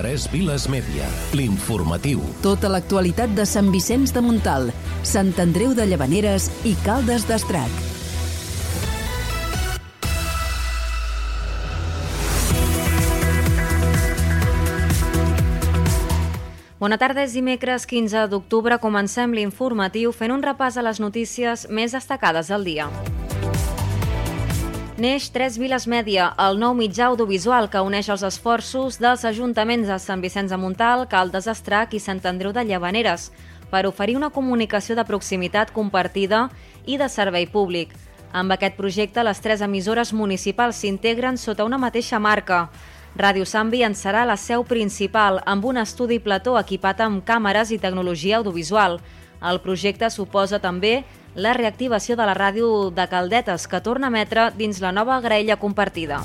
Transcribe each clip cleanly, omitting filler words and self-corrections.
Tres Viles Mèdia, l'informatiu. Tota l'actualitat de Sant Vicenç de Montalt, Sant Andreu de Llavaneres i Caldes d'Estrac. Bona tarda, és dimecres 15 d'octubre. Comencem l'informatiu fent un repàs a les notícies més destacades del dia. Neix Tres Viles Mèdia, el nou mitjà audiovisual que uneix els esforços dels ajuntaments de Sant Vicenç de Montalt, Caldes d'Estrac i Sant Andreu de Llavaneres per oferir una comunicació de proximitat compartida i de servei públic. Amb aquest projecte, les tres emissores municipals s'integren sota una mateixa marca. Ràdio Sambi en serà la seu principal, amb un estudi plató equipat amb càmeres i tecnologia audiovisual. El projecte suposa també la reactivació de la ràdio de Caldetes, que torna a emetre dins la nova graella compartida.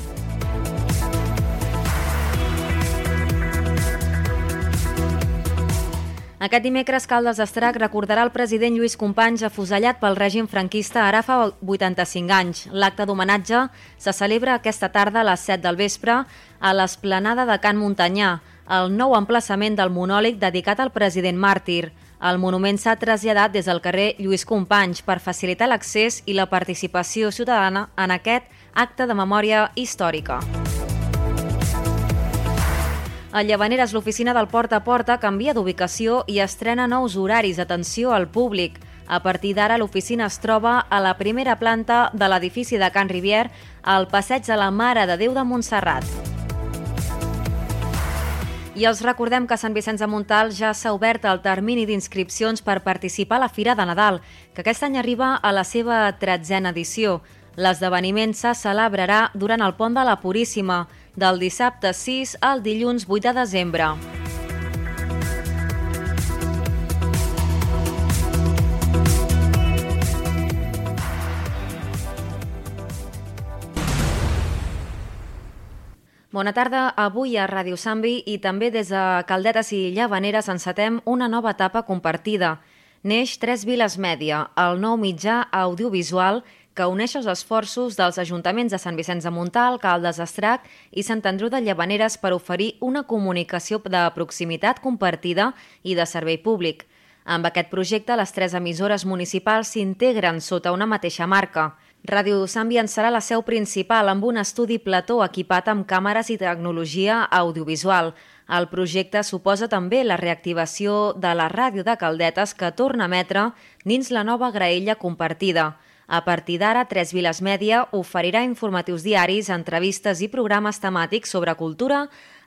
Aquest dimecres, Caldes d'Estrac recordarà el president Lluís Companys afusellat pel règim franquista ara fa 85 anys. L'acte d'homenatge se celebra aquesta tarda a les 7 del vespre a l'esplanada de Can Montanyà, el nou emplaçament del monòleg dedicat al president màrtir. El monument s'ha traslladat des del carrer Lluís Companys per facilitar l'accés i la participació ciutadana en aquest acte de memòria històrica. A Llavaneres, l'oficina del Porta a Porta canvia d'ubicació i estrena nous horaris d'atenció al públic. A partir d'ara, l'oficina es troba a la primera planta de l'edifici de Can Rivière, al passeig de la Mare de Déu de Montserrat. I els recordem que a Sant Vicenç de Montalt ja s'ha obert el termini d'inscripcions per participar a la Fira de Nadal, que aquest any arriba a la seva 13a edició. L'esdeveniment se celebrarà durant el Pont de la Puríssima, del dissabte 6 al dilluns 8 de desembre. Bona tarda. Avui a Ràdio Sambi i també des de Caldetes i Llavaneres encetem una nova etapa compartida. Neix Tres Viles Mèdia, el nou mitjà audiovisual que uneix els esforços dels ajuntaments de Sant Vicenç de Montalt, Caldes d'Estrac i Sant Andreu de Llavaneres per oferir una comunicació de proximitat compartida i de servei públic. Amb aquest projecte, les tres emissores municipals s'integren sota una mateixa marca. Ràdio Sambi en serà la seu principal amb un estudi plató equipat amb càmeres i tecnologia audiovisual. El projecte suposa també la reactivació de la ràdio de Caldetes que torna a emetre dins la nova graella compartida. A partir d'ara, Tres Viles Mèdia oferirà informatius diaris, entrevistes i programes temàtics sobre cultura,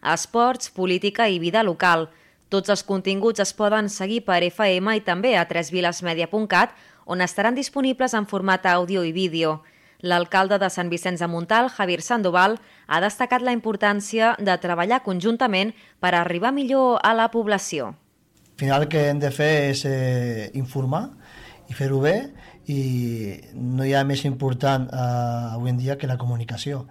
esports, política i vida local. Tots els continguts es poden seguir per FM i també a tresvilesmedia.cat, on estaran disponibles en format àudio i vídeo. L'alcalde de Sant Vicenç de Montalt, Javier Sandoval, ha destacat la importància de treballar conjuntament per arribar millor a la població. Al final el que hem de fer és informar i fer-ho bé, i no hi ha més important avui en dia que la comunicació.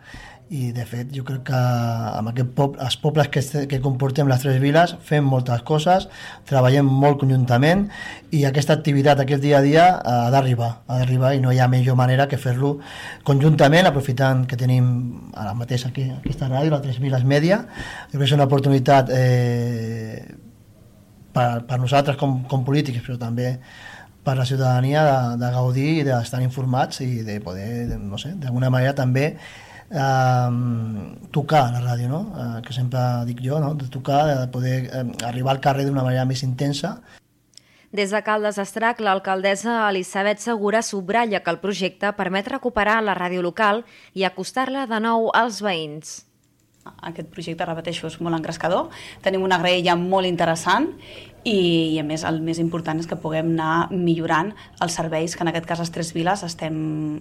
I de fet jo crec que amb els pobles que comportem les tres viles fem moltes coses, treballem molt conjuntament i aquesta activitat, aquest dia a dia ha d'arribar i no hi ha millor manera que fer-lo conjuntament, aprofitant que tenim ara mateix aquí aquesta ràdio, la Tres Viles Mèdia. Jo crec que és una oportunitat per nosaltres com polítics, però també per la ciutadania de gaudir i d'estar informats i de poder, no sé, d'alguna manera també tocar la ràdio, no? Que sempre dic jo, no? De tocar, de poder arribar al carrer d'una manera més intensa. Des de Caldes d'Estrac, l'alcaldessa Elisabet Segura subratlla que el projecte permet recuperar la ràdio local i acostar-la de nou als veïns. Aquest projecte, repeteixo, és molt engrescador. Tenim una graella molt interessant i a més el més important és que puguem anar millorant els serveis que en aquest cas les Tres Viles estem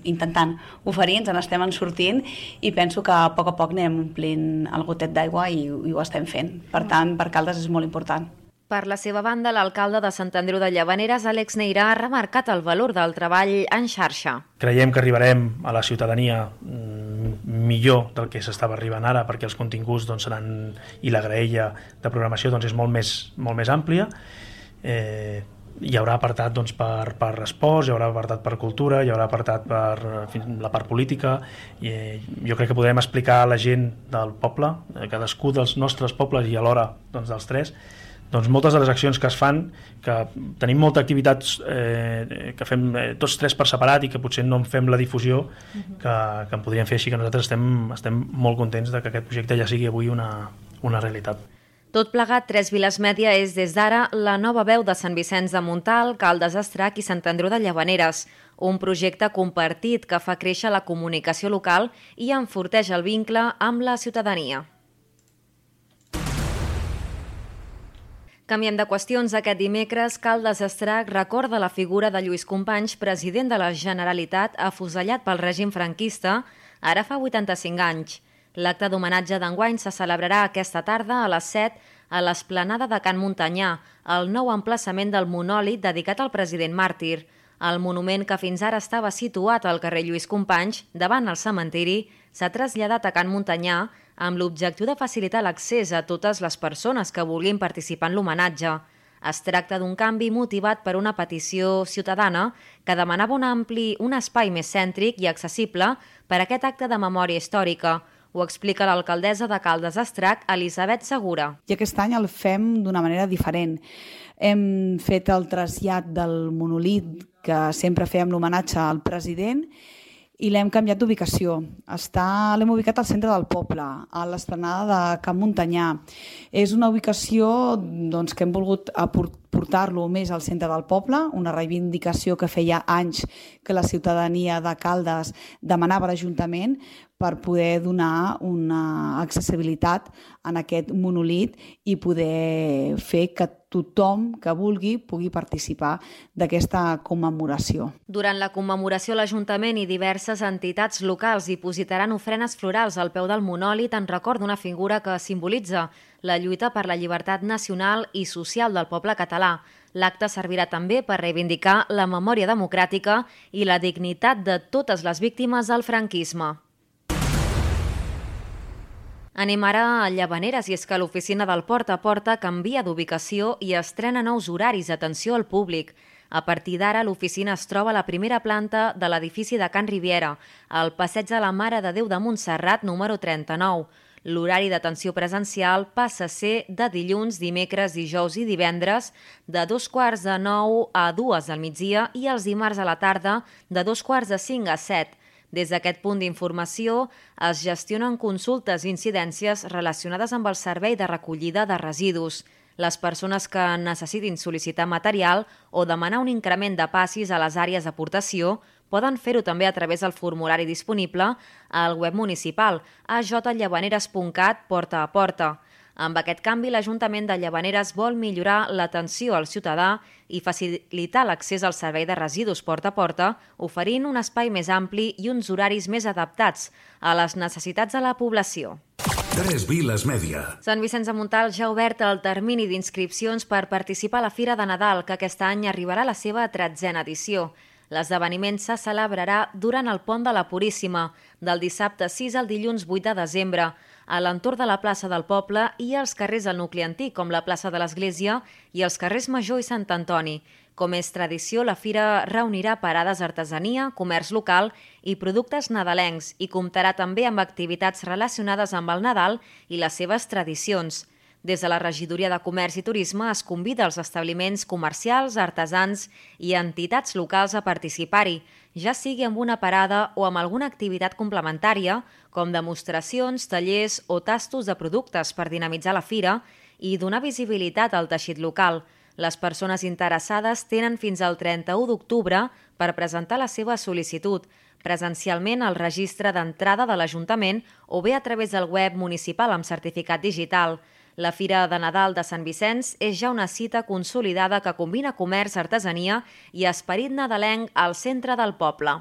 intentant oferir, ens n'estem sortint i penso que a poc anem omplint el gotet d'aigua i ho estem fent. Per tant, per Caldes és molt important. Per la seva banda, l'alcalde de Sant Andreu de Llavaneres, Àlex Neirà, ha remarcat el valor del treball en xarxa. Creiem que arribarem a la ciutadania millor del que s'estava arribant ara, perquè els continguts seran, i la graella de programació és molt més àmplia. hi haurà apartat doncs, per esports, hi haurà apartat per cultura, hi haurà apartat per la part política, i jo crec que podem explicar a la gent del poble, cadascú dels nostres pobles i alhora doncs, dels tres, doncs moltes de les accions que es fan, que tenim molta activitat que fem tots tres per separat i que potser no en fem la difusió que en podríem fer, així que nosaltres estem molt contents de que aquest projecte ja sigui avui una realitat. Tot plegat, Tres Viles Mèdia és des d'ara la nova veu de Sant Vicenç de Montalt, Caldes d'Estrac i Sant Andreu de Llavaneres, un projecte compartit que fa créixer la comunicació local i enforteix el vincle amb la ciutadania. Canviem de qüestions. Aquest dimecres, Caldes d'Estrac recorda la figura de Lluís Companys, president de la Generalitat, afusellat pel règim franquista, ara fa 85 anys. L'acte d'homenatge d'enguany se celebrarà aquesta tarda a les 7 a l'esplanada de Can Montanyà, el nou emplaçament del monòlit dedicat al president màrtir. El monument, que fins ara estava situat al carrer Lluís Companys, davant el cementiri, s'ha traslladat a Can Montanyà amb l'objectiu de facilitar l'accés a totes les persones que vulguin participar en l'homenatge. Es tracta d'un canvi motivat per una petició ciutadana que demanava un espai més cèntric i accessible per a aquest acte de memòria històrica. Ho explica l'alcaldessa de Caldes d'Estrac, Elisabet Segura. I aquest any el fem d'una manera diferent. Hem fet el trasllat del monolit que sempre fèiem l'homenatge al president i l'hem canviat d'ubicació. L'hem ubicat al centre del poble, a l'esplanada de Can Montanyà. És una ubicació que hem volgut portar-lo més al centre del poble, una reivindicació que feia anys que la ciutadania de Caldes demanava a l'Ajuntament per poder donar una accessibilitat en aquest monolit i poder fer que tothom que vulgui pugui participar d'aquesta commemoració. Durant la commemoració, l'Ajuntament i diverses entitats locals dipositaran ofrenes florals al peu del monòlit en record d'una figura que simbolitza la lluita per la llibertat nacional i social del poble català. L'acte servirà també per reivindicar la memòria democràtica i la dignitat de totes les víctimes del franquisme. Anem ara a Llavaneres, i és que l'oficina del Porta a Porta canvia d'ubicació i estrena nous horaris d'atenció al públic. A partir d'ara, l'oficina es troba a la primera planta de l'edifici de Can Riviera, al passeig de la Mare de Déu de Montserrat, número 39. L'horari d'atenció presencial passa a ser de dilluns, dimecres, dijous i divendres, de 8:45 a 2 del migdia i els dimarts a la tarda, de 4:45 a 7. Des d'aquest punt d'informació es gestionen consultes i incidències relacionades amb el servei de recollida de residus. Les persones que necessitin sol·licitar material o demanar un increment de passis a les àrees d'aportació poden fer-ho també a través del formulari disponible al web municipal ajllavaneres.cat porta a porta. Amb aquest canvi, l'Ajuntament de Llavaneres vol millorar l'atenció al ciutadà i facilitar l'accés al servei de residus porta a porta, oferint un espai més ampli i uns horaris més adaptats a les necessitats de la població. Tres Viles Mèdia. Sant Vicenç de Montalt ja ha obert el termini d'inscripcions per participar a la Fira de Nadal, que aquest any arribarà a la seva 13a edició. L'esdeveniment se celebrarà durant el Pont de la Puríssima, del dissabte 6 al dilluns 8 de desembre, a l'entorn de la plaça del poble i als carrers del nucli antic, com la plaça de l'Església i els carrers Major i Sant Antoni. Com és tradició, la fira reunirà parades d'artesania, comerç local i productes nadalencs i comptarà també amb activitats relacionades amb el Nadal i les seves tradicions. Des de la Regidoria de Comerç i Turisme es convida els establiments comercials, artesans i entitats locals a participar-hi, ja sigui amb una parada o amb alguna activitat complementària, com demostracions, tallers o tastos de productes per dinamitzar la fira i donar visibilitat al teixit local. Les persones interessades tenen fins al 31 d'octubre per presentar la seva sol·licitud, presencialment al registre d'entrada de l'Ajuntament o bé a través del web municipal amb certificat digital. La Fira de Nadal de Sant Vicenç és ja una cita consolidada que combina comerç, artesania i esperit nadalenc al centre del poble.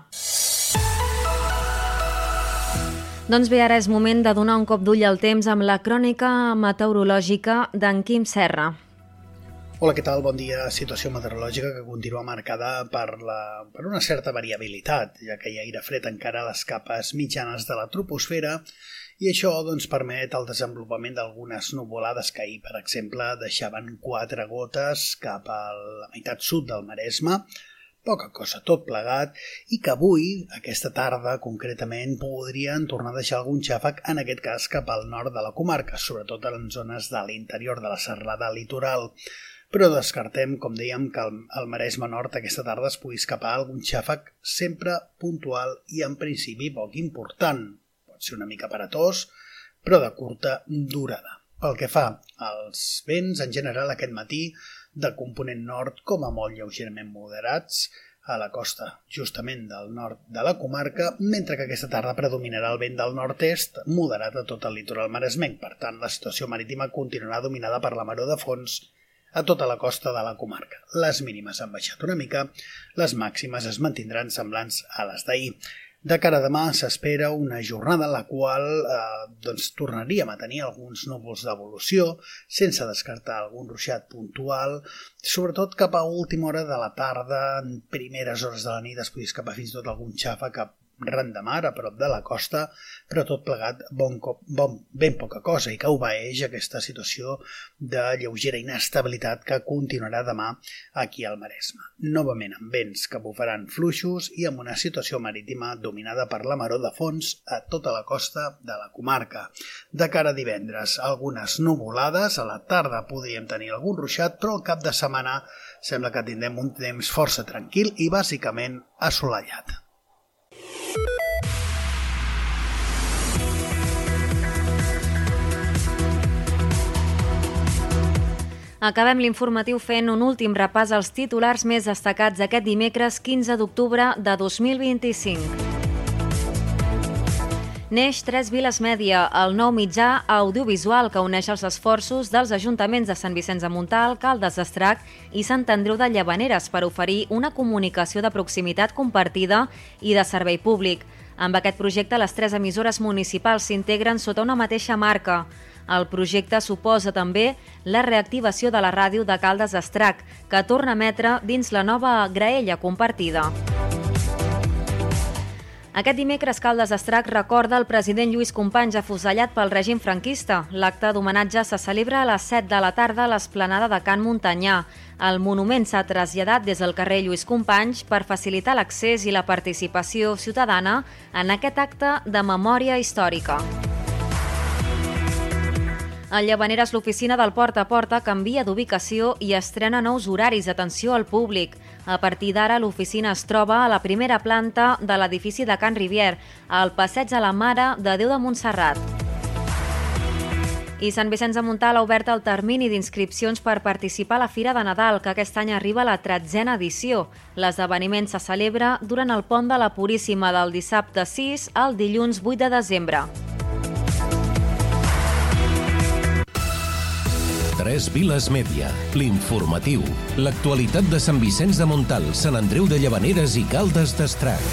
Doncs bé, ara és moment de donar un cop d'ull al temps amb la crònica meteorològica d'en Quim Serra. Hola, què tal? Bon dia. Situació meteorològica que continua marcada per una certa variabilitat, ja que hi ha aire fred encara a les capes mitjanes de la troposfera i això doncs, permet el desenvolupament d'algunes nuvolades que ahir, per exemple, deixaven 4 gotes cap a la meitat sud del Maresme, poca cosa tot plegat, i que avui, aquesta tarda concretament, podrien tornar a deixar algun xàfec, en aquest cas cap al nord de la comarca, sobretot en zones de l'interior de la serralada litoral. Però descartem, com dèiem, que al Maresme Nord aquesta tarda es pugui escapar algun xàfec sempre puntual i en principi poc important. Pot ser una mica aparatós, però de curta durada. Pel que fa als vents, en general aquest matí, de component nord com a molt lleugerament moderats a la costa justament del nord de la comarca, mentre que aquesta tarda predominarà el vent del nord-est moderat a tot el litoral maresmenc. Per tant, la situació marítima continuarà dominada per la maror de fons a tota la costa de la comarca. Les mínimes han baixat una mica, les màximes es mantindran semblants a les d'ahir. De cara a demà s'espera una jornada en la qual tornaríem a tenir alguns núvols d'evolució, sense descartar algun ruixat puntual, sobretot cap a última hora de la tarda, en primeres hores de la nit es podria escapar fins i tot algun xàfec ran de mar, a prop de la costa, però tot plegat ben poca cosa i que obeeix aquesta situació de lleugera inestabilitat que continuarà demà aquí al Maresme. Novament amb vents que bufaran fluixos i amb una situació marítima dominada per la maror de fons a tota la costa de la comarca. De cara a divendres, algunes nuvolades, a la tarda podríem tenir algun ruixat, però al cap de setmana sembla que tindrem un temps força tranquil i bàsicament assolellat. Acabem l'informatiu fent un últim repàs als titulars més destacats aquest dimecres 15 d'octubre de 2025. Neix 3 Viles Mèdia, el nou mitjà audiovisual que uneix els esforços dels ajuntaments de Sant Vicenç de Montalt, Caldes d'Estrac i Sant Andreu de Llavaneres per oferir una comunicació de proximitat compartida i de servei públic. Amb aquest projecte, les 3 emissores municipals s'integren sota una mateixa marca. El projecte suposa també la reactivació de la ràdio de Caldes d'Estrac, que torna a emetre dins la nova graella compartida. Aquest dimecres, Caldes d'Estrac recorda el president Lluís Companys afusellat pel règim franquista. L'acte d'homenatge se celebra a les 7 de la tarda a l'esplanada de Can Montanyà. El monument s'ha traslladat des del carrer Lluís Companys per facilitar l'accés i la participació ciutadana en aquest acte de memòria històrica. A Llavaneres, l'oficina del Porta a Porta canvia d'ubicació i estrena nous horaris d'atenció al públic. A partir d'ara, l'oficina es troba a la primera planta de l'edifici de Can Rivier, al passeig de la Mare de Déu de Montserrat. I Sant Vicenç de Montalt ha obert el termini d'inscripcions per participar a la Fira de Nadal, que aquest any arriba a la 13a edició. L'esdeveniment se celebra durant el pont de la Puríssima del dissabte 6 al dilluns 8 de desembre. 3 Viles Mèdia, l'informatiu, l'actualitat de Sant Vicenç de Montalt, Sant Andreu de Llavaneres i Caldes d'Estrac.